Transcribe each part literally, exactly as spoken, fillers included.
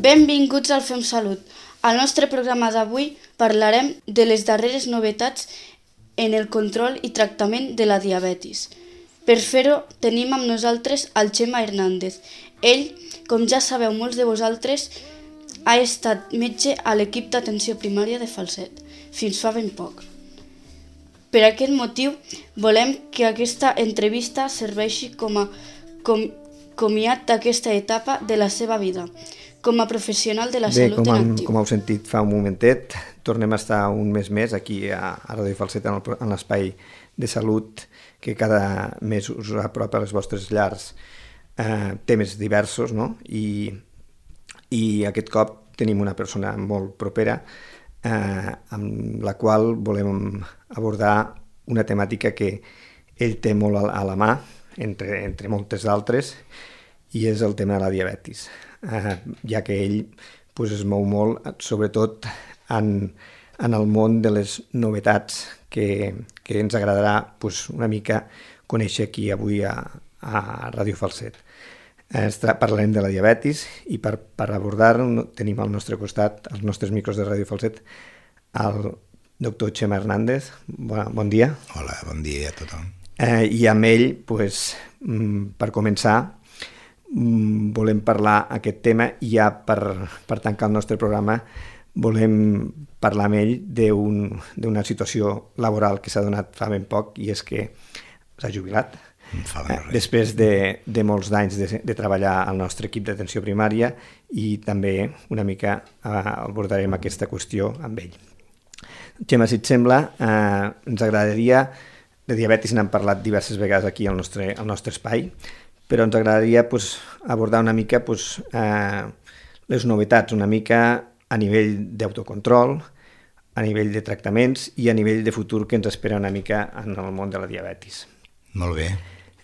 Benvinguts al Fem Salut. Al nostre programa d'avui parlarem de les darreres novetats en el control i tractament de la diabetis. Per fer-ho tenim amb nosaltres el Xema Hernández. Ell, com ja sabeu molts de vosaltres, ha estat metge a l'equip d'atenció primària de Falset, fins fa ben poc. Per aquest motiu, volem que aquesta entrevista serveixi com a com, comiat d'aquesta etapa de la seva vida, com a professional de la Bé, salut com en hem, actiu. com heu sentit fa un momentet, tornem a estar un mes més aquí a, a Ràdio Falset en, el, en l'espai de salut que cada mes us apropa a les vostres llars eh, temes diversos, no? I, i aquest cop tenim una persona molt propera eh, amb la qual volem abordar una temàtica que ell té molt a, a la mà, entre, entre moltes d'altres, i és el tema de la diabetis, eh, ja que ell pues, es mou molt, sobretot en, en el món de les novetats que, que ens agradarà pues, una mica conèixer aquí avui a, a Ràdio Falset. Eh, parlarem de la diabetis i per, per abordar-ho tenim al nostre costat, als nostres micros de Ràdio Falset, el doctor Xema Hernández. Bon, bon dia. Hola, bon dia a tothom. Eh, I amb ell, pues, per començar, volem parlar aquest tema i ja per, per tancar el nostre programa volem parlar amb ell d'una situació laboral que s'ha donat fa ben poc i és que s'ha jubilat. Eh, després de, de molts d'anys de, de treballar al nostre equip d'atenció primària i també una mica eh, abordarem aquesta qüestió amb ell. Xema, si et sembla, eh, ens agradaria, de diabetis n'hem parlat diverses vegades aquí al nostre, al nostre espai, però ens agradaria pues, abordar una mica pues, eh, les novetats, una mica a nivell d'autocontrol, a nivell de tractaments i a nivell de futur que ens espera una mica en el món de la diabetis. Molt bé.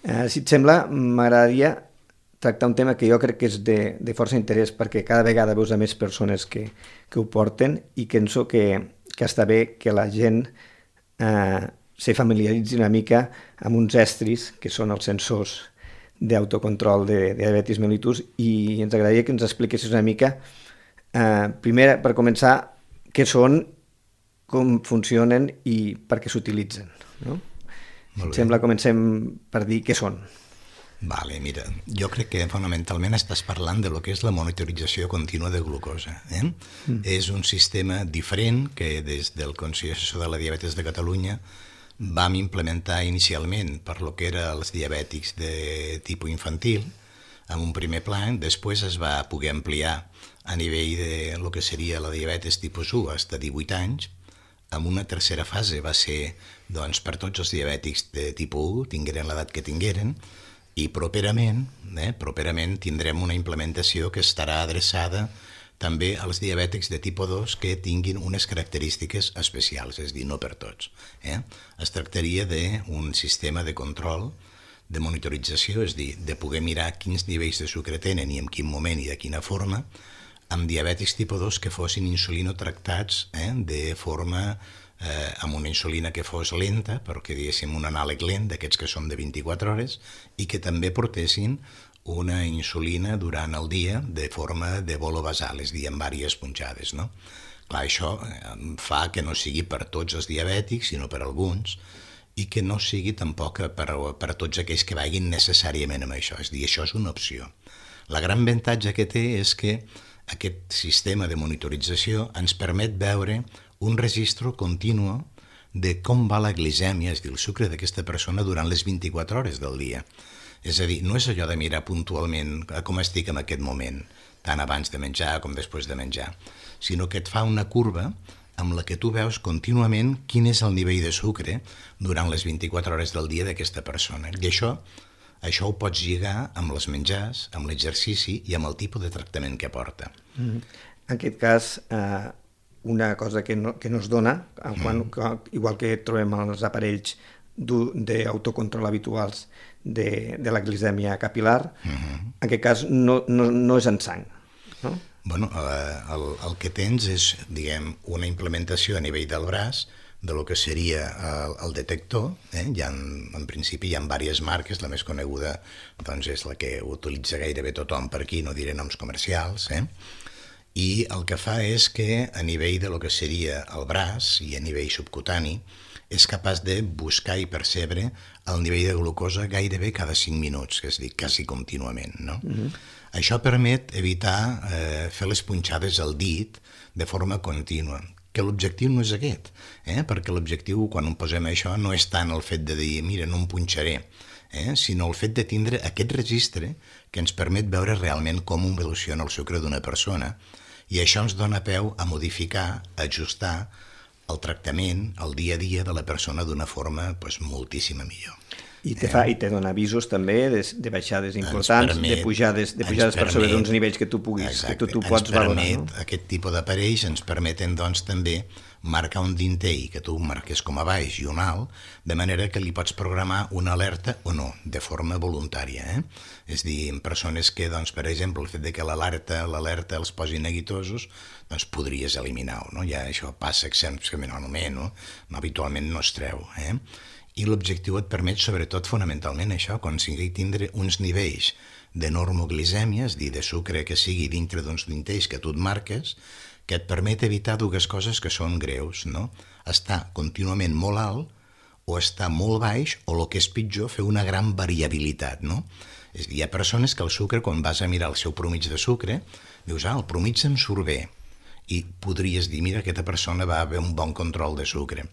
Eh, si et sembla, m'agradaria tractar un tema que jo crec que és de, de força interès perquè cada vegada veus a més persones que, que ho porten i penso que, que està bé que la gent eh, se familiaritzi una mica amb uns estris que són els sensors d'autocontrol de, de diabetis mellitus i ens agradaria que ens expliquessis una mica, eh, primer, per començar, què són, com funcionen i per què s'utilitzen. No? Si et sembla, comencem per dir què són. Vale, mira, jo crec que fonamentalment estàs parlant de lo que és la monitorització contínua de glucosa. Eh? Mm. És un sistema diferent que des del Consell Assessor de la Diabetis de Catalunya vam implementar inicialment per lo que era els diabètics de tipus infantil, en un primer plan, després es va poder ampliar a nivell de lo que seria la diabetis tipus u fins a divuit anys, en una tercera fase va ser doncs, per tots els diabètics de tipus u, tingueren l'edat que tingueren, i properament, eh, properament tindrem una implementació que estarà adreçada també als diabètics de tipus dos que tinguin unes característiques especials, és a dir, no per tots. Eh? Es tractaria d'un sistema de control, de monitorització, és a dir, de poder mirar quins nivells de sucre tenen i en quin moment i de quina forma, amb diabètics tipus dos que fossin insulinotractats eh, de forma eh, amb una insulina que fos lenta, perquè diguéssim un anàleg lent d'aquests que són de vint-i-quatre hores, i que també portessin una insulina durant el dia de forma de bolo basal, és a dir, amb diverses punxades. No? Clar, això fa que no sigui per tots els diabètics, sinó per alguns, i que no sigui tampoc per, per tots aquells que vagin necessàriament amb això, és a dir, això és una opció. La gran avantatge que té és que aquest sistema de monitorització ens permet veure un registre continu de com va la glicèmia, és a dir, el sucre d'aquesta persona durant les vint-i-quatre hores del dia. És a dir, no és allò de mirar puntualment com estic en aquest moment, tant abans de menjar com després de menjar, sinó que et fa una curva amb la que tu veus contínuament quin és el nivell de sucre durant les vint-i-quatre hores del dia d'aquesta persona. I això, això ho pots lligar amb els menjars, amb l'exercici i amb el tipus de tractament que porta. Mm. En aquest cas, eh, una cosa que no, que no es dona, quan, mm. igual que trobem els aparells d'autocontrol habituals de, de la glicèmia capilar, uh-huh. en aquest cas no, no, no és en sang, no? Bueno, eh, el, el que tens és, diguem, una implementació a nivell del braç de lo que seria el, el detector. Eh? Hi ha, en principi hi ha diverses marques, la més coneguda doncs, és la que utilitza gairebé tothom per aquí, no diré noms comercials, eh? i el que fa és que a nivell de lo que seria el braç i a nivell subcutani és capaç de buscar i percebre el nivell de glucosa gairebé cada cinc minuts, que és dir, quasi contínuament, no? Mm-hmm. Això permet evitar eh, fer les punxades al dit de forma contínua, que l'objectiu no és aquest, eh? perquè l'objectiu, quan em posem això, no és tant el fet de dir, mira, no em punxaré, eh? sinó el fet de tindre aquest registre que ens permet veure realment com evoluciona el sucre d'una persona, i això ens dona peu a modificar, a ajustar el tractament, el dia a dia de la persona d'una forma pues, moltíssima millor. I te, fa, i te dona avisos també de, de baixades importants, permet, de pujades, de pujades per sobre d'uns nivells que tu puguis, exacte, que tu, tu pots valorar. No? Aquest tipus d'aparells ens permeten doncs, també marcar un dintell que tu marques com a baix i un alt, de manera que li pots programar una alerta o no, de forma voluntària. Eh? És a dir, en persones que, doncs, per exemple, el fet de que l'alerta l'alerta els posi neguitosos, doncs podries eliminar-ho. No? Ja això passa excepcionalment, no? no? Habitualment no es treu. Eh? I l'objectiu et permet, sobretot, fonamentalment això, aconseguir tindre uns nivells de normoglicèmia, és a dir, de sucre que sigui dintre d'uns dintells que tu et marques, que et permet evitar dues coses que són greus, no? Estar contínuament molt alt o estar molt baix, o el que és pitjor, fer una gran variabilitat, no? És a dir, hi ha persones que el sucre, quan vas a mirar el seu promig de sucre, dius, ah, el promig em surt bé, i podries dir, mira, aquesta persona va haver un bon control de sucre.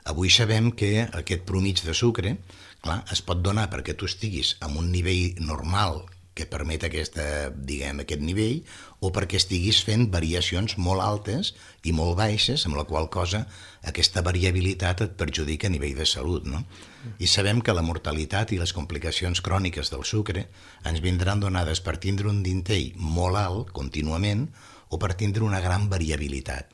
Avui sabem que aquest promig de sucre, clar, es pot donar perquè tu estiguis en un nivell normal que permet aquesta, diguem, aquest nivell, o perquè estiguis fent variacions molt altes i molt baixes, amb la qual cosa aquesta variabilitat et perjudica a nivell de salut, no? I sabem que la mortalitat i les complicacions cròniques del sucre ens vindran donades per tindre un dintell molt alt contínuament o per tindre una gran variabilitat.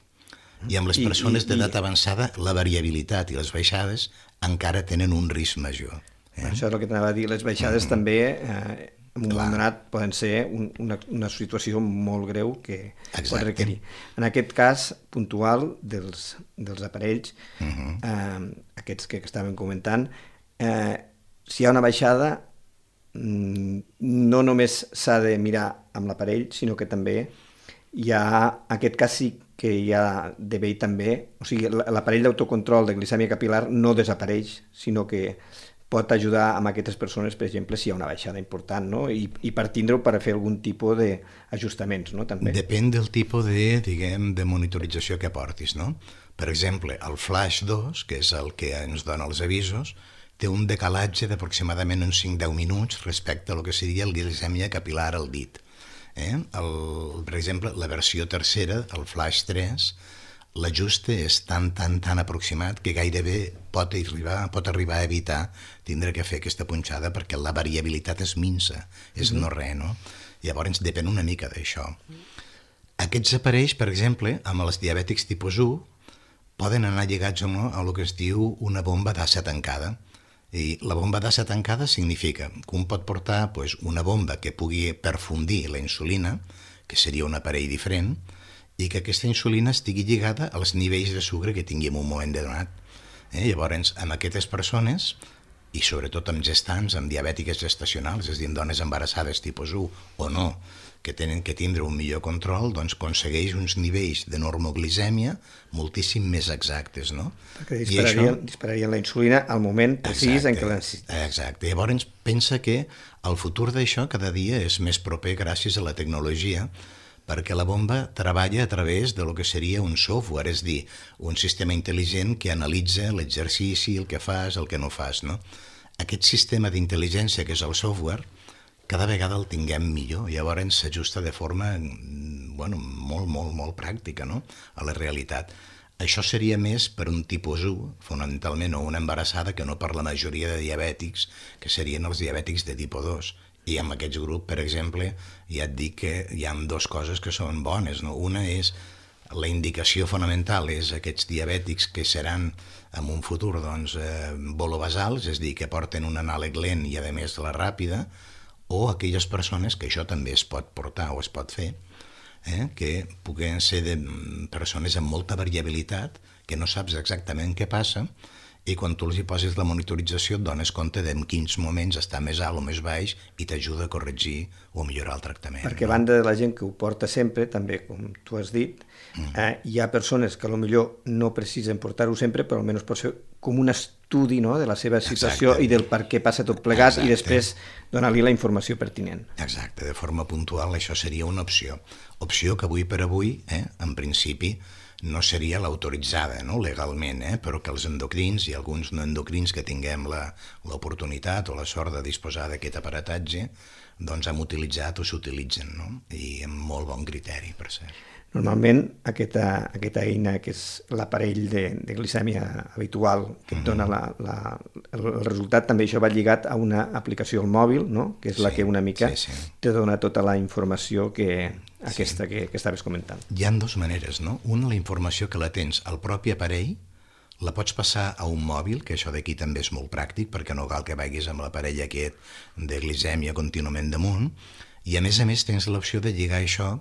I amb les persones d'edat avançada, la variabilitat i les baixades encara tenen un risc major. Eh? Això és el que t'anava a dir. Les baixades mm. també, eh, en un moment donat, poden ser un, una, una situació molt greu que Exacte. Pot requerir. En aquest cas puntual dels, dels aparells, mm-hmm. eh, aquests que estàvem comentant, eh, si hi ha una baixada, no només s'ha de mirar amb l'aparell, sinó que també hi ha aquest cas sí que hi ha d'haver també, o sigui, l'aparell d'autocontrol de glicèmia capilar no desapareix, sinó que pot ajudar a aquestes persones, per exemple, si hi ha una baixada important, no? I, i per tindre-ho per fer algun tipus d'ajustaments, no? També. Depèn del tipus de, diguem, de monitorització que portis, no? Per exemple, el Flash dos, que és el que ens dona els avisos, té un decalatge d'aproximadament uns cinc a deu minuts respecte a lo que seria el glicèmia capilar al dit. Eh? El, per exemple, la versió tercera, el Flash tres, l'ajuste és tan, tan, tan aproximat que gairebé pot arribar, pot arribar a evitar tindre que fer aquesta punxada perquè la variabilitat és minsa, és mm-hmm. no res, no? Llavors depèn una mica d'això. Aquests aparells, per exemple, amb els diabètics tipus u, poden anar lligats o no a el que es diu una bomba d'assa tancada. I la bomba d'assa tancada significa que un pot portar pues, una bomba que pugui perfundir la insulina, que seria un aparell diferent, i que aquesta insulina estigui lligada als nivells de sucre que tingui en un moment donat. Eh? Llavors, amb aquestes persones, i sobretot amb gestants, amb diabètiques gestacionals, és a dir, amb dones embarassades tipus u o no, que tenen que tindre un millor control, doncs aconsegueix uns nivells de normoglicèmia moltíssim més exactes, no? Perquè dispararien, això... dispararien la insulina al moment precís en què la necessites. Exacte. Llavors pensa que el futur d'això cada dia és més proper gràcies a la tecnologia, perquè la bomba treballa a través de lo que seria un software, és dir, un sistema intel·ligent que analitza l'exercici, el que fas, el que no fas, no? Aquest sistema d'intel·ligència que és el software, cada vegada el tinguem millor, llavors s'ajusta de forma bueno, molt, molt, molt pràctica, no? A la realitat. Això seria més per un tipus u, fonamentalment, o una embarassada, que no per la majoria de diabètics, que serien els diabètics de tipus dos. I en aquests grups, per exemple, ja et dic que hi ha dues coses que són bones, no? Una és la indicació fonamental, és aquests diabètics que seran en un futur doncs, eh, bolobasals, és a dir, que porten un anàleg lent i a més la ràpida, o aquelles persones que això també es pot portar o es pot fer, eh, que puguen ser de persones amb molta variabilitat, que no saps exactament què passa i quan tu els hi poses la monitorització et dones compte de en quins moments està més alt o més baix i t'ajuda a corregir o millorar el tractament. Perquè a no? banda de la gent que ho porta sempre, també, com tu has dit, mm. eh, hi ha persones que potser no precisen portar-ho sempre, però almenys pot ser com un estudi, no?, de la seva situació Exacte. I del per què passa tot plegat Exacte. I després donar-li la informació pertinent. Exacte, de forma puntual això seria una opció. Opció que avui per avui, eh, en principi, no seria l'autoritzada, no?, legalment, eh? Però que els endocrins i alguns no endocrins que tinguem l'oportunitat o la sort de disposar d'aquest aparatatge, doncs hem utilitzat o s'utilitzen, no? I amb molt bon criteri, per cert. Normalment aquesta, aquesta eina, que és l'aparell de, de glicèmia habitual, que et dona la, la, el resultat, també això va lligat a una aplicació al mòbil, no?, que és sí, la que una mica sí, sí. te dona tota la informació que aquesta sí. que, que estaves comentant. Hi ha dues maneres, no? Una, la informació que la tens al propi aparell, la pots passar a un mòbil, que això d'aquí també és molt pràctic, perquè no cal que vagis amb l'aparell aquest de glicèmia contínuament damunt, i a més a més tens l'opció de lligar això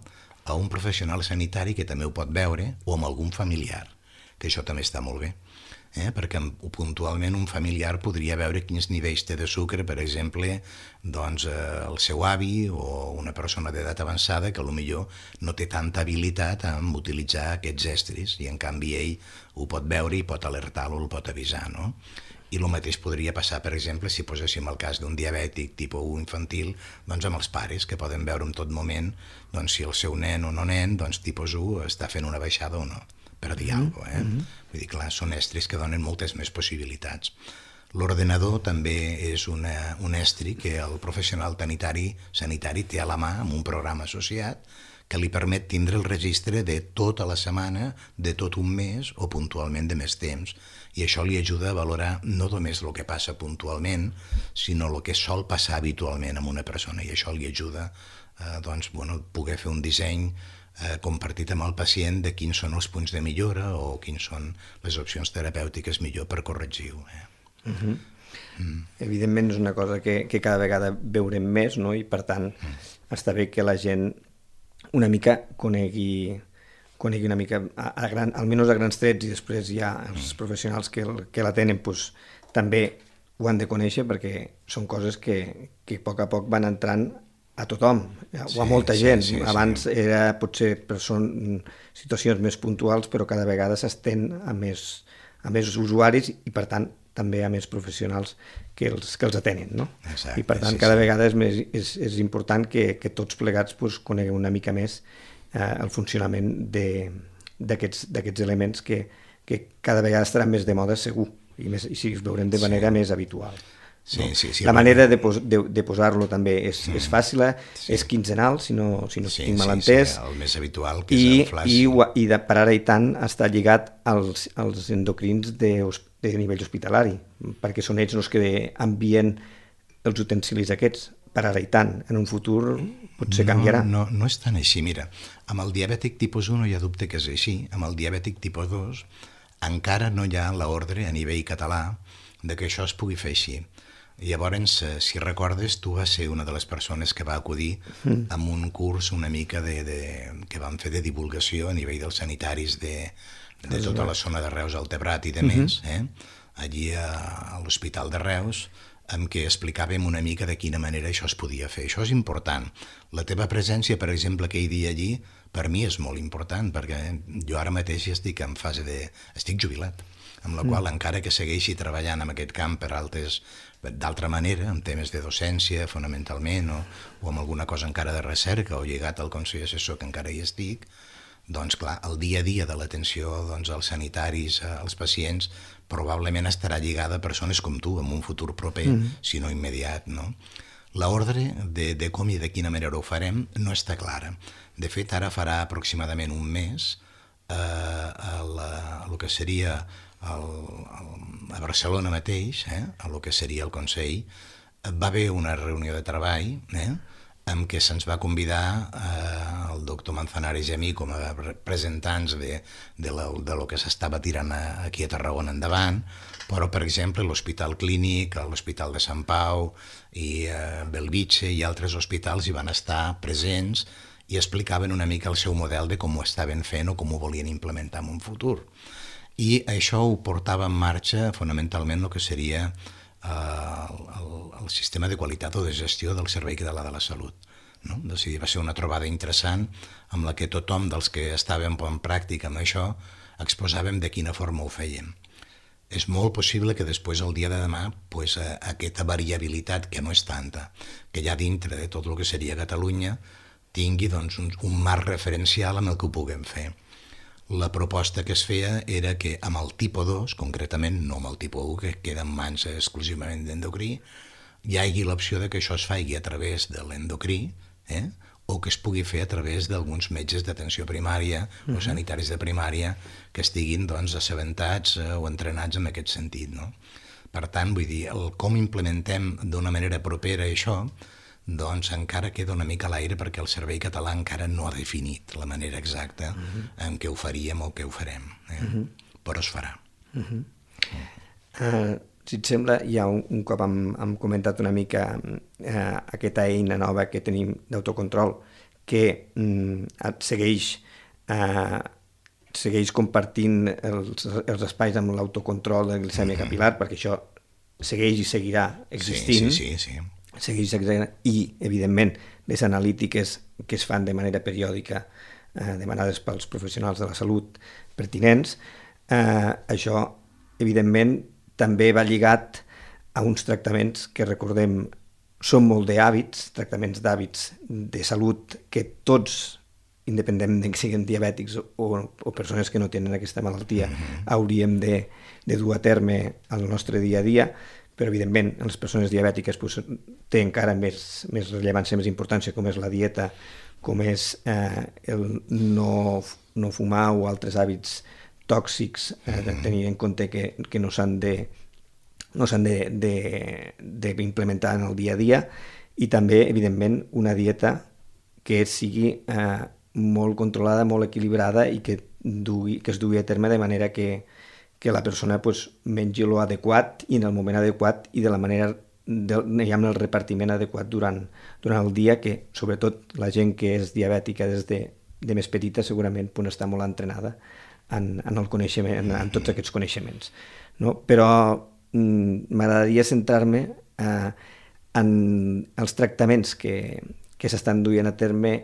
a un professional sanitari que també ho pot veure, o amb algun familiar, que això també està molt bé. Eh? Perquè puntualment un familiar podria veure quins nivells té de sucre, per exemple, doncs, eh, el seu avi o una persona d'edat avançada que potser no té tanta habilitat en utilitzar aquests estris i en canvi ell ho pot veure i pot alertar-lo, el pot avisar, no? I el mateix podria passar, per exemple, si poséssim el cas d'un diabètic tipus u infantil, doncs amb els pares, que poden veure en tot moment doncs, si el seu nen o no nen, doncs tipus u està fent una baixada o no, per dir alguna cosa, eh? Mm-hmm. Vull dir, clar, són estris que donen moltes més possibilitats. L'ordenador també és una, un estri que el professional sanitari, sanitari té a la mà amb un programa associat que li permet tindre el registre de tota la setmana, de tot un mes o puntualment de més temps. I això li ajuda a valorar no només el que passa puntualment, sinó el que sol passar habitualment amb una persona. I això li ajuda a doncs, bueno, poder fer un disseny eh, compartit amb el pacient de quins són els punts de millora o quins són les opcions terapèutiques millor per corregir-ho. Eh? Uh-huh. mm. Evidentment és una cosa que, que cada vegada veurem més, no? I per tant mm. està bé que la gent una mica conegui, conegui una mica, a, a gran, almenys a grans trets, i després hi ha els professionals que, que la tenen, doncs, també ho han de conèixer, perquè són coses que, que a poc a poc van entrant a tothom, o a sí, molta gent. Sí, sí, Abans sí. era, potser, però són situacions més puntuals, però cada vegada s'estén a més, a més usuaris i, per tant, també a més professionals que els, que els atenen, no? Exacte, I per tant, sí, cada sí. vegada és, més, és, és important que, que tots plegats pues, coneguem una mica més eh, el funcionament d'aquests elements que, que cada vegada estaran més de moda, segur, i, més, i si els veurem de manera sí. més habitual. Sí, no? sí, sí, la manera de, pos, de, de posar-lo també és, mm. és fàcil, sí. és quinzenal, si no, si no sí, estic mal entès. Sí, el més habitual, que I, és el flash. I, i de, per ara i tant està lligat als, als endocrins de, de nivell hospitalari, perquè són ells els que envien els utensilis aquests. Per ara i tant, en un futur potser no, canviarà. No, no és tan així, mira. Amb el diabètic tipus u no hi ha dubte que és així. Amb el diabètic tipus dos encara no hi ha l'ordre a nivell català de que això es pugui fer així. Llavors, si recordes, tu vas ser una de les persones que va acudir mm. amb un curs una mica de, de, que vam fer de divulgació a nivell dels sanitaris de, de tota la zona de Reus, el Tebrat i de més, eh? allí a, a l'Hospital de Reus, en què explicàvem una mica de quina manera això es podia fer. Això és important. La teva presència, per exemple, aquell dia allí, per mi és molt important, perquè jo ara mateix estic en fase de... estic jubilat, amb la qual mm. encara que segueixi treballant en aquest camp per altres... d'altra manera, en temes de docència, fonamentalment, o, o amb alguna cosa encara de recerca, o lligat al Consell Assessor, que encara hi estic, doncs clar, el dia a dia de l'atenció doncs, als sanitaris, als pacients, probablement estarà lligada a persones com tu, en un futur proper, mm. si no immediat, no? L'ordre de, de com i de quina manera ho farem no està clara. De fet, ara farà aproximadament un mes eh, a, la, a lo que seria el, el, a Barcelona mateix, eh, a lo que seria el Consell, va haver una reunió de treball eh, en què se'ns va convidar eh, el doctor Manzanares i a mi com a representants de, de, la, de lo que s'estava tirant a, aquí a Tarragona endavant, però, per exemple, l'Hospital Clínic, l'Hospital de Sant Pau i eh, Belvitge i altres hospitals hi van estar presents i explicaven una mica el seu model de com ho estaven fent o com ho volien implementar en un futur. I això ho portava en marxa fonamentalment el que seria eh, el, el sistema de qualitat o de gestió del Servei Català de la Salut. No? Decidir, va ser una trobada interessant amb la que tothom dels que estàvem en pràctica amb això exposàvem de quina forma ho fèiem. És molt possible que després, el dia de demà, pues, aquesta variabilitat, que no és tanta, que hi ha dintre de tot el que seria Catalunya, tingui doncs, un, un marc referencial amb el que ho puguem fer. La proposta que es feia era que amb el tipus dos, concretament, no amb el tipus u, que queda en mans exclusivament d'endocrí, hi hagi l'opció de que això es faci a través de l'endocrí, eh? o que es pugui fer a través d'alguns metges d'atenció primària uh-huh. o sanitaris de primària que estiguin doncs, assabentats eh, o entrenats en aquest sentit. No? Per tant, vull dir, el com implementem d'una manera propera això, doncs encara queda una mica a l'aire perquè el Servei Català encara no ha definit la manera exacta uh-huh. en què ho faríem o què ho farem, eh? uh-huh. però es farà. Uh-huh. Uh, si et sembla, ja un, un cop hem, hem comentat una mica uh, aquesta eina nova que tenim d'autocontrol que um, segueix, uh, segueix compartint els, els espais amb l'autocontrol de glicèmia uh-huh. capil·lar, perquè això segueix i seguirà existint. Sí, sí, sí. sí. segueix exagerant, i, evidentment, les analítiques que es fan de manera periòdica, eh, demanades pels professionals de la salut pertinents, eh, això, evidentment, també va lligat a uns tractaments que, recordem, són molt d'hàbits, tractaments d'hàbits de salut que tots, independentment que siguin diabètics o, o persones que no tenen aquesta malaltia, mm-hmm. hauríem de, de dur a terme al nostre dia a dia, però evidentment en les persones diabètiques pues, té encara més, més rellevància, més importància, com és la dieta, com és eh, el no, no fumar o altres hàbits tòxics, eh, de tenir en compte que, que no s'han de no s'han d'implementar en el dia a dia, i també, evidentment, una dieta que sigui eh, molt controlada, molt equilibrada i que, dugui, que es dugui a terme de manera que que la persona pues, mengi l'adequat i en el moment adequat i de la manera, de, amb el repartiment adequat durant, durant el dia, que sobretot la gent que és diabètica des de, de més petita segurament pues, està molt entrenada en, en, el coneixement, en, en tots aquests coneixements. No? Però mm, m'agradaria centrar-me eh, en els tractaments que, que s'estan duent a terme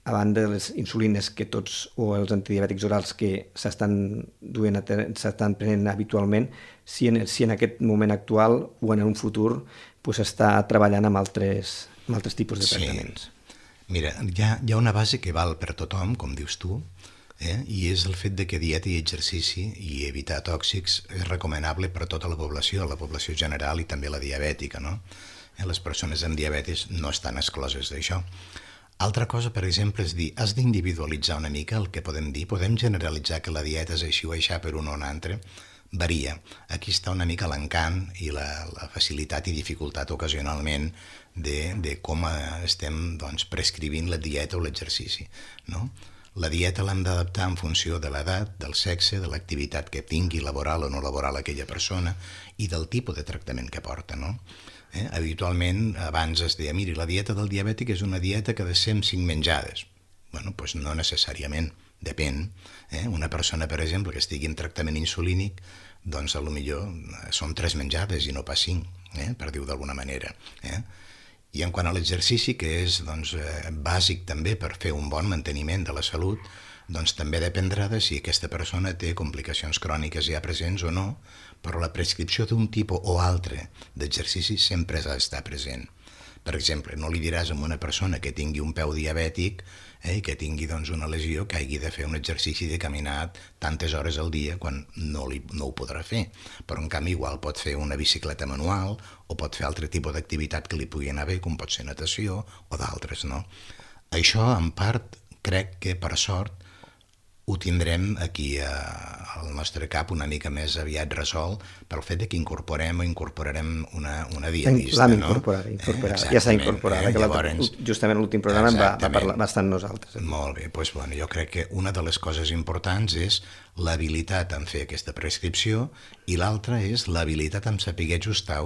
a banda de les insulines que tots, o els antidiabètics orals que s'estan duent a ter- s'estan prenent habitualment, si en, si en aquest moment actual o en un futur pues, està treballant amb altres, amb altres tipus de tractaments. Sí. Mira, hi ha, hi ha una base que val per tothom, com dius tu, eh? i és el fet de que dieta i exercici i evitar tòxics és recomanable per a tota la població, la població general i també la diabètica. No? Eh? Les persones amb diabetis no estan excloses d'això. Altra cosa, per exemple, és dir, has d'individualitzar una mica el que podem dir. Podem generalitzar que la dieta és així o aixà per un o un altre. Varia. Aquí està una mica l'encant i la, la facilitat i dificultat ocasionalment de, de com estem doncs, prescrivint la dieta o l'exercici. No? La dieta l'hem d'adaptar en funció de l'edat, del sexe, de l'activitat que tingui laboral o no laboral aquella persona i del tipus de tractament que porta, no? Eh? Habitualment, abans es deia, miri, la dieta del diabètic és una dieta que ha de ser amb cinc menjades. Bueno, doncs no necessàriament, depèn. Eh? Una persona, per exemple, que estigui en tractament insulínic, doncs a lo millor són tres menjades i no pas cinc, eh? per dir-ho d'alguna manera. Eh? I en quant a l'exercici, que és doncs, eh, bàsic també per fer un bon manteniment de la salut, doncs també dependrà de si aquesta persona té complicacions cròniques ja presents o no, però la prescripció d'un tipus o altre d'exercici sempre ha d'estar present. Per exemple, no li diràs a una persona que tingui un peu diabètic eh, i que tingui doncs, una lesió que hagi de fer un exercici de caminar tantes hores al dia quan no, li, no ho podrà fer. Però en canvi igual pot fer una bicicleta manual o pot fer altre tipus d'activitat que li pugui anar bé, com pot ser natació o d'altres. No? Això, en part, crec que per sort ho tindrem aquí a, al nostre cap una mica més aviat resolt pel fet de que incorporem o incorporarem una, una dietista. L'hem incorporat, no? incorporat. Eh, ja s'ha incorporat. Eh? Llavors, justament l'últim programa va, va, parlar, va estar amb nosaltres. Eh? Molt bé, doncs, bueno, jo crec que una de les coses importants és l'habilitat en fer aquesta prescripció i l'altra és l'habilitat en saber ajustar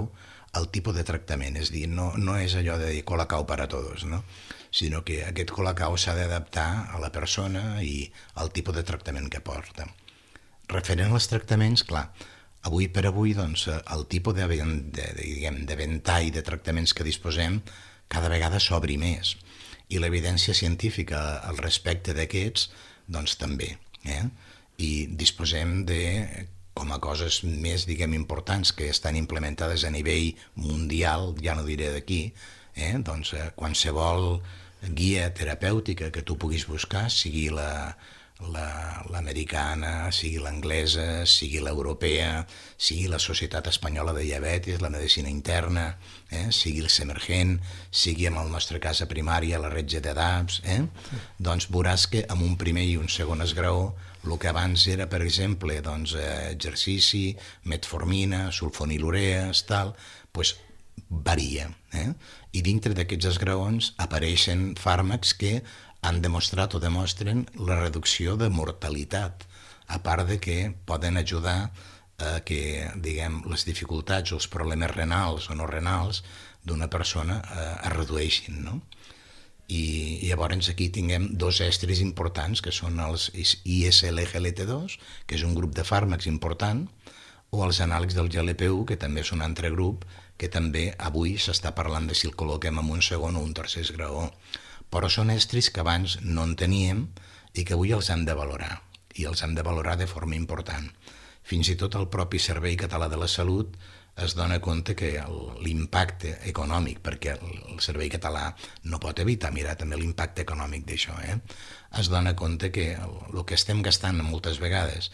el tipus de tractament. És a dir, no, no és allò de dir colacao para todos, no? sinó que aquest colacao s'ha d'adaptar a la persona i al tipus de tractament que porta. referent als tractaments, clar, avui per avui doncs, el tipus de, de, de, diguem, de ventall de tractaments que disposem cada vegada s'obri més i l'evidència científica al respecte d'aquests doncs també. Eh? I disposem de, com a coses més diguem, importants que estan implementades a nivell mundial, ja no diré d'aquí, eh? doncs, eh, qualsevol guia terapèutica que tu puguis buscar, sigui la l'americana, sigui l'anglesa, sigui l'europea, sigui la Societat Espanyola de Diabetis, la medicina interna, eh? sigui el Semergent, sigui en el nostre cas a primària, la Retge de D A P S, eh? doncs veuràs que amb un primer i un segon esgraó el que abans era, per exemple, doncs, eh, exercici, metformina, sulfonilurees, tal, doncs varia. Eh? I dintre d'aquests esgraons apareixen fàrmacs que han demostrat o demostren la reducció de mortalitat, a part de que poden ajudar a que, diguem, les dificultats o els problemes renals o no renals d'una persona eh, es redueixin, no? I, i llavors aquí tinguem dos estris importants, que són els I S L G L T dos, que és un grup de fàrmacs important, o els anàlegs del G L P u, que també és un altre grup, que també avui s'està parlant de si el col·loquem en un segon o un tercer esgraó. Però són estris que abans no en teníem i que avui els hem de valorar, i els hem de valorar de forma important. Fins i tot el propi Servei Català de la Salut es dona compte que l'impacte econòmic, perquè el Servei Català no pot evitar mirar també l'impacte econòmic d'això, eh? es dona compte que el, el que estem gastant moltes vegades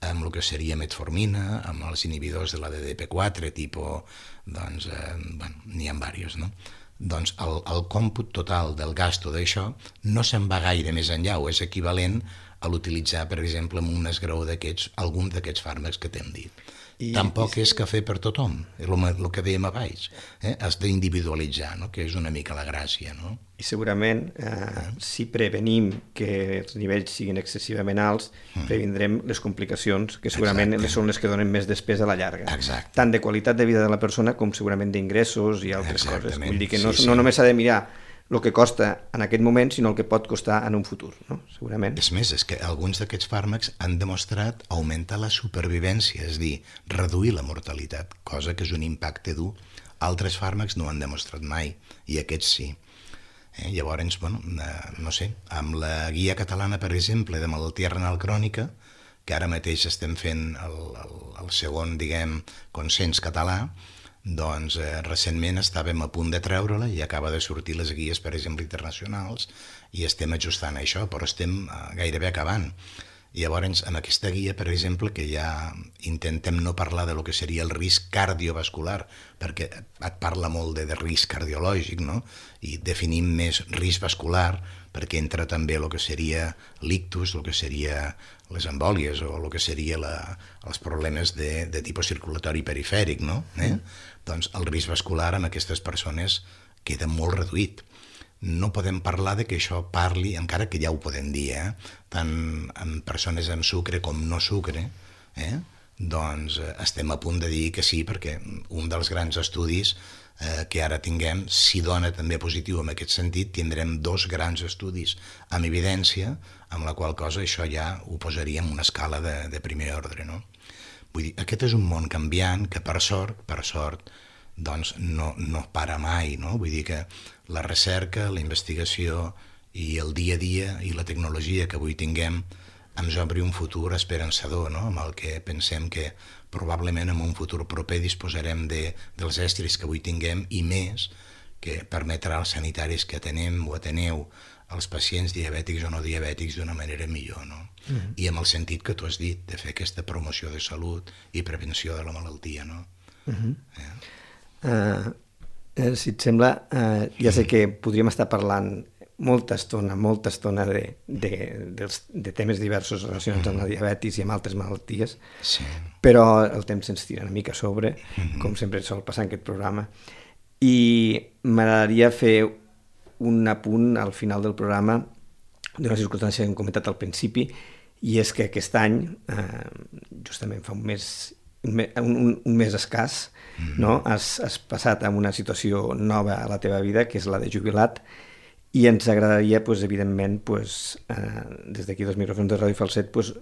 amb el que seria metformina, amb els inhibidors de la D D P quatre, tipus, doncs, eh, bueno, n'hi ha diversos, no? Doncs el, el còmput total del gasto d'això no se'n va gaire més enllà, o és equivalent a l'utilitzar, per exemple, en un esgraó d'aquests, algun d'aquests fàrmacs que t'hem dit. I, Tampoc i... és cafè per tothom, el, el que dèiem abans, eh? has d'individualitzar, no? que és una mica la gràcia. No? I segurament, eh, eh? si prevenim que els nivells siguin excessivament alts, mm. previndrem les complicacions, que segurament Exacte. són les que donen més despesa a la llarga. Exacte. Tant de qualitat de vida de la persona com segurament d'ingressos i altres Exactament. coses. Vull dir que no, sí, sí. no només s'ha de mirar el que costa en aquest moment, sinó el que pot costar en un futur, no? Segurament. És més, és que alguns d'aquests fàrmacs han demostrat augmentar la supervivència, és a dir, reduir la mortalitat, cosa que és un impacte dur. Altres fàrmacs no ho han demostrat mai, i aquests sí. Eh? Llavors, bueno, eh, no sé, amb la guia catalana, per exemple, de malaltia renal crònica, que ara mateix estem fent el, el, el segon, diguem, consens català, doncs eh, recentment estàvem a punt de treure-la i acaba de sortir les guies, per exemple, internacionals, i estem ajustant això, però estem eh, gairebé acabant. I llavors, en aquesta guia, per exemple, que ja intentem no parlar de lo que seria el risc cardiovascular, perquè et parla molt de, de risc cardiològic, no? I definim més risc vascular, perquè entra també el que seria l'ictus, el que seria les embòlies o el que seria la, els problemes de, de tipus circulatori perifèric, no? Eh? Mm. Doncs el risc vascular en aquestes persones queda molt reduït. No podem parlar de que això parli, encara que ja ho podem dir, eh? tant en persones amb sucre com no sucre, eh? doncs estem a punt de dir que sí, perquè un dels grans estudis eh, que ara tinguem, si dona també positiu en aquest sentit, tindrem dos grans estudis amb evidència, amb la qual cosa això ja ho posaríem en una escala de, de primer ordre, no? Vull dir, aquest és un món canviant que per sort, per sort, doncs no, no para mai, no? Vull dir que la recerca, la investigació i el dia a dia i la tecnologia que avui tinguem ens obri un futur esperançador, no? Amb el que pensem que probablement en un futur proper disposarem de, dels estris que avui tinguem i més, que permetrà als sanitaris que atenem o ateneu els pacients diabètics o no diabètics d'una manera millor, no? Mm-hmm. I amb el sentit que tu has dit, de fer aquesta promoció de salut i prevenció de la malaltia, no? Mm-hmm. eh? Uh, eh, si et sembla, uh, ja sé que podríem estar parlant molta estona, molta estona de, de, de, de temes diversos relacionats mm-hmm. amb la diabetis i amb altres malalties, sí. però el temps se'ns tira una mica a sobre, mm-hmm. com sempre sol passar en aquest programa, i m'agradaria fer un apunt al final del programa d'una circumstància que hem comentat al principi, i és que aquest any, eh, justament fa un mes, un, un, un mes escàs, mm-hmm. no? has, has passat a una situació nova a la teva vida, que és la de jubilat, i ens agradaria, pues, evidentment, pues, eh, des d'aquí dels micròfons de Ràdio Falset, pues,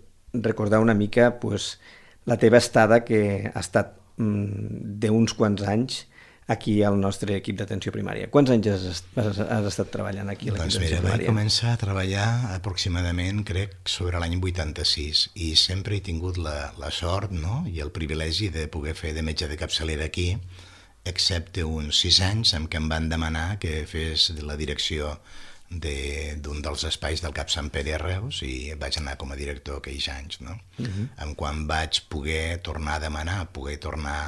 recordar una mica pues, la teva estada, que ha estat mm, d'uns quants anys aquí al nostre equip d'atenció primària. Quants anys has, has, has estat treballant aquí a l'equip doncs d'atenció mira, primària? Vaig començar a treballar aproximadament, crec, sobre l'any vuitanta-sis, i sempre he tingut la, la sort, no?, i el privilegi de poder fer de metge de capçalera aquí, excepte uns sis anys en què em van demanar que fes la direcció d'un de, dels espais del Cap Sant Pere a Reus, i vaig anar com a director aquells anys, no? Uh-huh. En quan vaig poder tornar a demanar, poder tornar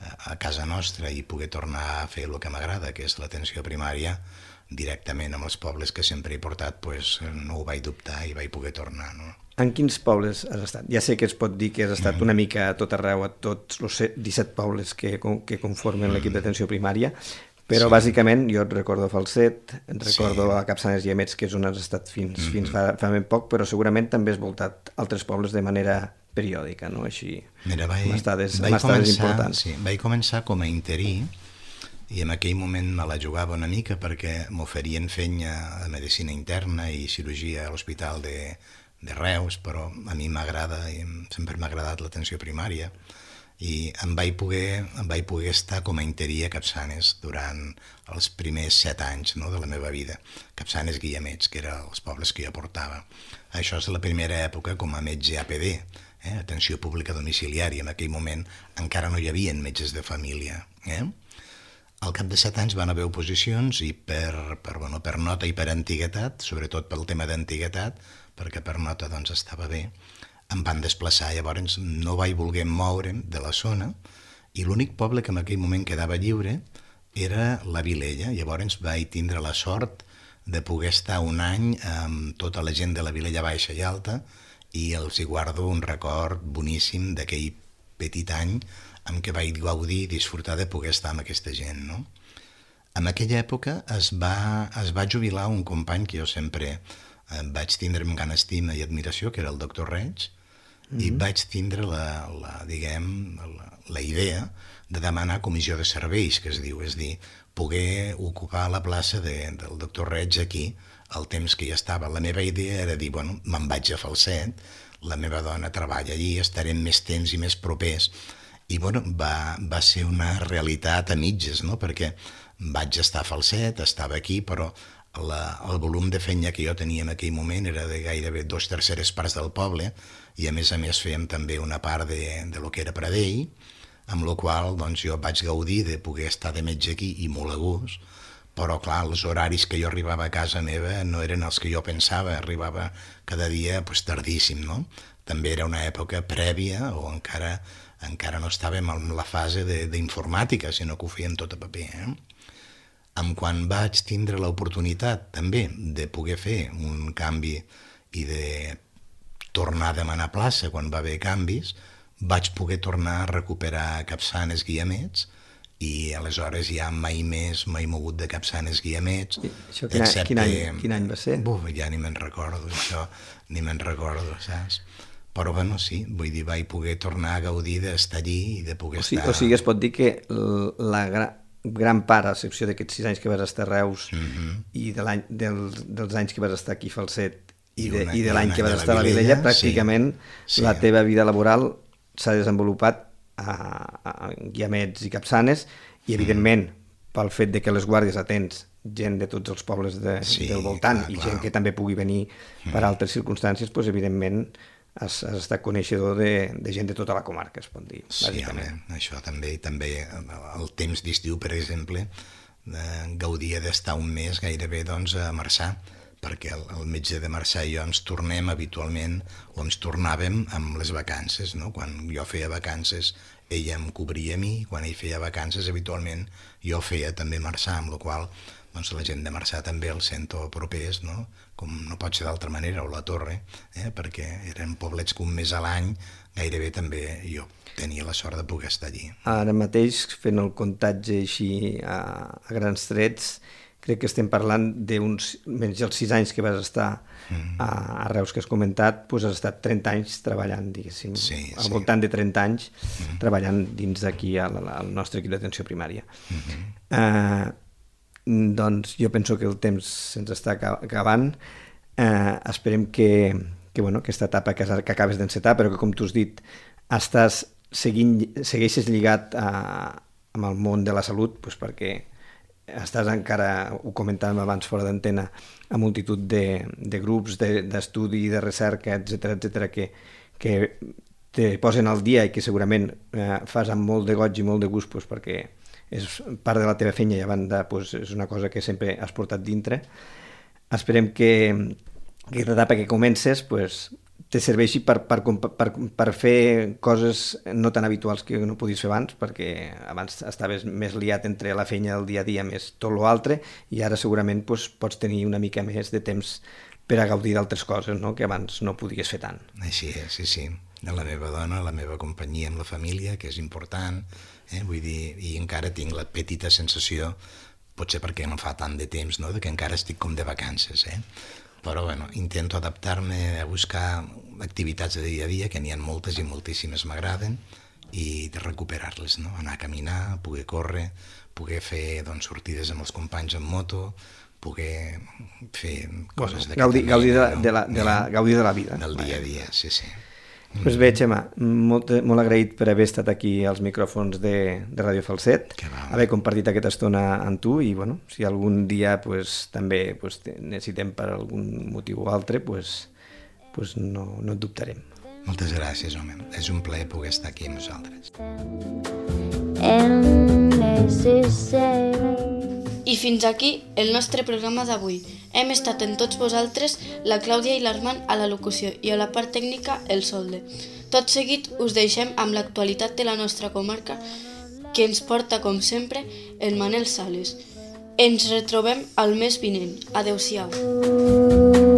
a casa nostra i poder tornar a fer el que m'agrada, que és l'atenció primària, directament amb els pobles que sempre he portat, pues, no ho vaig dubtar i vaig poder tornar, no? En quins pobles has estat? Ja sé que es pot dir que has estat mm. una mica a tot arreu, a tots els disset pobles que, que conformen mm. l'equip d'atenció primària, però sí. Bàsicament jo et recordo Falset, et recordo sí. a Capçanes i Guiamets, que és on has estat fins, mm. fins fa, fa ben poc, però segurament també has voltat altres pobles de manera periòdica, no? Així, Mira, vaig, amb estades, vaig, amb estades començar, importants. Sí, vaig començar com a interí, i en aquell moment me la jugava una mica perquè m'oferien fenya de medicina interna i cirurgia a l'Hospital de, de Reus, però a mi m'agrada, i sempre m'ha agradat l'atenció primària, i em vaig, poder, em vaig poder estar com a interí a Capçanes durant els primers set anys, no?, de la meva vida. Capçanes, Guiamets, que eren els pobles que jo portava. Això és la primera època com a metge A P D, eh? Atenció pública domiciliària. En aquell moment encara no hi havia metges de família. Eh? Al cap de set anys van haver oposicions, i per, per, bueno, per nota i per antiguitat, sobretot pel tema d'antiguitat, perquè per nota doncs, estava bé, em van desplaçar. Llavors no vaig voler moure'm de la zona, i l'únic poble que en aquell moment quedava lliure era la Vilella. Llavors vaig tindre la sort de poder estar un any amb tota la gent de la Vilella Baixa i Alta, i els hi guardo un record boníssim d'aquell petit any en què vaig gaudir i disfrutar de poder estar amb aquesta gent, no? En aquella època es va, es va jubilar un company que jo sempre eh, vaig tindre amb gran estima i admiració, que era el doctor Reig, mm-hmm. i vaig tindre la, la, diguem, la, la idea de demanar comissió de serveis, que es diu, és dir, poder ocupar la plaça de, del doctor Reig aquí, el temps que hi estava. La meva idea era dir, bueno, me'n vaig a Falset, la meva dona treballa allí, estarem més temps i més propers. I bueno, va, va ser una realitat a mitges, no?, perquè vaig estar a Falset, estava aquí, però la, el volum de feina que jo tenia en aquell moment era de gairebé dos terceres parts del poble, i a més a més fèiem també una part de, de lo que era Pradell, amb la qual doncs, jo vaig gaudir de poder estar de metge aquí i molt a gust, però clar, els horaris que jo arribava a casa meva no eren els que jo pensava, arribava cada dia pues, tardíssim, no? També era una època prèvia, o encara, encara no estàvem en la fase d'informàtica, sinó que ho fèiem tot a paper. Eh? Amb quan vaig tindre l'oportunitat també de poder fer un canvi i de tornar a demanar plaça quan va haver canvis, vaig poder tornar a recuperar Capçanes, Guiamets, i aleshores ja mai més m'he mogut de Capçanes, Guiamets. Això quin, excepte... quin, any, quin any va ser? Buf, ja ni me'n recordo, això, ni me'n recordo, saps? Però bueno, sí, vull dir, vaig poder tornar a gaudir d'estar allí i de poder o sigui, estar... O sigui, es pot dir que la gran, gran part, a excepció d'aquests sis anys que vas estar a Reus, mm-hmm. i de dels, dels anys que vas estar aquí a Falset, i de, una, i de l'any que vas estar a la Vilella, pràcticament sí, sí. La teva vida laboral s'ha desenvolupat a, a Guiamets i Capçanes, i evidentment pel fet de que les guàrdies atens gent de tots els pobles de, sí, del voltant, clar, i gent clar. Que també pugui venir per altres circumstàncies, doncs evidentment has, has estat coneixedor de, de gent de tota la comarca, es pot dir, bàsicament. Sí, això també, també el temps d'estiu, per exemple, eh, gaudia d'estar un mes gairebé doncs, a Marçà, perquè el, el metge de Marçà i jo ens tornem habitualment, o ens tornàvem amb les vacances, no? Quan jo feia vacances, ella em cobria a mi, quan ell feia vacances, habitualment jo feia també Marçà, amb la qual doncs, la gent de Marçà també el sento propers, no? Com no pot ser d'altra manera, o la Torre, eh? Perquè eren poblets que un mes a l'any gairebé també jo tenia la sort de poder estar allí. Ara mateix, fent el comptatge així a, a grans trets, crec que estem parlant d'uns, menys els sis anys que vas estar mm. a, a Reus que has comentat, doncs has estat trenta anys treballant, diguéssim, sí, al sí. voltant de trenta anys, mm. treballant dins d'aquí al, al nostre equip d'atenció primària. Mm-hmm. Uh, doncs jo penso que el temps se'ns està acabant. Uh, esperem que, que bueno, aquesta etapa que, que acabes d'encetar, però que, com tu has dit, estàs seguint, segueixes lligat a, amb el món de la salut, doncs perquè estàs encara, ho comentàvem abans fora d'antena, a multitud de, de grups d'estudi, de, de recerca, etcètera, etcètera, que, que te posen al dia i que segurament eh, fas amb molt de goig i molt de gust, doncs, perquè és part de la teva feina i a banda doncs, és una cosa que sempre has portat dintre. Esperem que aquesta etapa que comences pues, te serveixi per, per, per, per fer coses no tan habituals que no podies fer abans, perquè abans estaves més liat entre la feina del dia a dia més tot l'altre, i ara segurament pues, pots tenir una mica més de temps per a gaudir d'altres coses, no? Que abans no podies fer tant. Així és, sí, sí. La meva dona, la meva companyia amb la família, que és important, eh? Vull dir, i encara tinc la petita sensació, potser perquè no fa tant de temps, no? De que encara estic com de vacances, eh? Però bueno, intento adaptar-me a buscar activitats de dia a dia, que n'hi ha moltes i moltíssimes m'agraden, i de recuperar-les, no? Anar a caminar, poder córrer, poder fer doncs, sortides amb els companys en moto, poder fer coses bueno, d'aquesta gaudir, mena, gaudir, de, no? de la, de la, gaudir de la vida. Del dia a dia, sí, sí. Pues bé, Xema, molt, molt agraït per haver estat aquí als micròfons de, de Ràdio Falset, haver compartit aquesta estona amb tu, i bueno, si algun dia pues, també pues, necessitem per algun motiu o altre, pues, pues no, no et dubtarem. Moltes gràcies, home. És un plaer poder estar aquí amb vosaltres. I fins aquí el nostre programa d'avui. Hem estat en tots vosaltres la Clàudia i l'Armand a la locució i a la part tècnica el Solde. Tot seguit us deixem amb l'actualitat de la nostra comarca que ens porta, com sempre, el Manel Sales. Ens retrobem al mes vinent. Adéu-siau.